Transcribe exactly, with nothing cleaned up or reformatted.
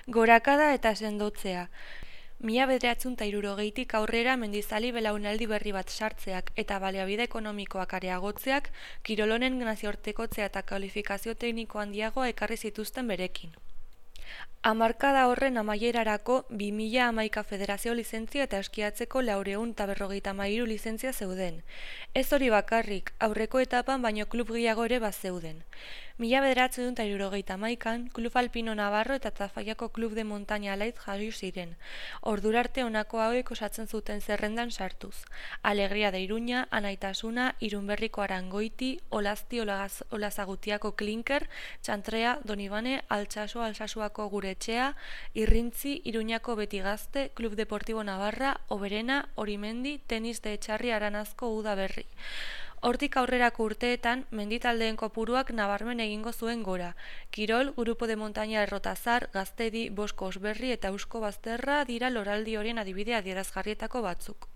Gorakada eta sendotzea. Mila bederatzun ta hirurogeitik aurrera mendizali belaunaldi berri bat sartzeak eta baliabide ekonomikoak areagotzeak kirolonen nazioartekotzea eta kualifikazio tekniko handiagoa ekarri zituzten berekin. Hamarkada horren amaierarako bi mila hamaika federazio lizentzia eta eskiatzeko laurehun eta berrogeita hamairu lizentzia zeuden. Ez hori bakarrik, aurreko etapan baino klub gehiago ere bazeuden. Mila bederatzehun eta hirurogeita hamaikan, Klub Alpino Navarro eta Tafallako Klub de Montaña Alaiz jarri ziren. Ordurarte honako hauek osatzen zuten zerrendan sartuz. Alegria de Iruña, Anaitasuna, Irunberriko Arangoiti, Olazti Olaz, Olazagutiako Klinker, Txantrea, Donibane, Altsaso, Alsasuako Gure Etxea, Irrintzi, Iruñako Beti Gazte, Klub Deportibo Navarra, Oberena, Orimendi, Tenis de Etxarri Aranazko Uda Berri. Hortik aurrerako urteetan, menditaldeen kopuruak nabarmen egingo zuen gora. Kirol, Grupo de Montaña Errotazar, Gaztedi, Bosko Osberri eta Eusko Bazterra dira loraldi horien adibide adierazgarrietako batzuk.